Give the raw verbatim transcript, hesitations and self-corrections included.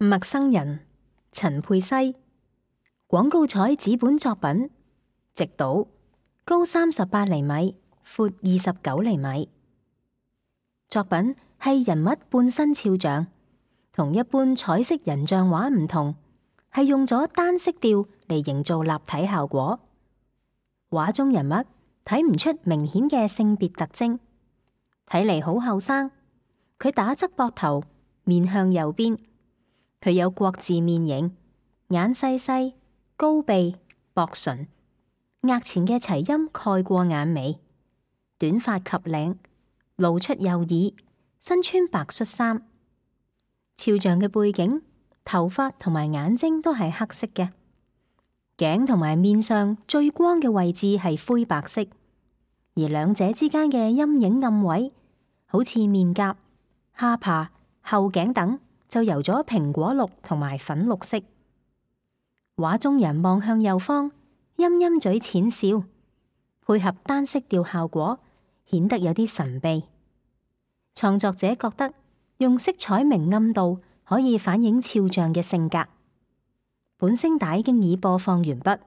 陌生人，陳佩西。廣告彩紙本作品，直島，高三十八厘米，闊二十九厘米。作品係人物半身肖像，同一般彩色人像畫唔同，係用咗單色調嚟營造立體效果。畫中人物睇唔出明顯嘅性別特徵，睇嚟好後生。佢打側膊頭，面向右邊。佢有國字面型，眼細細，高鼻，薄唇，額前嘅齊陰蓋過眼眉，短髮及領，露出右耳，身穿白恤衫。肖像嘅背景、頭髮同埋眼睛都係黑色嘅，頸同埋面上最光嘅位置係灰白色，而兩者之間嘅陰影暗位，好似面頰、下巴、後頸等，就由咗蘋果綠同埋粉綠色。畫中人望向右方，陰陰嘴淺笑，配合單色調效果，顯得有啲神秘。創作者覺得用色彩明暗度可以反映肖像嘅性格。本聲帶經已播放完畢。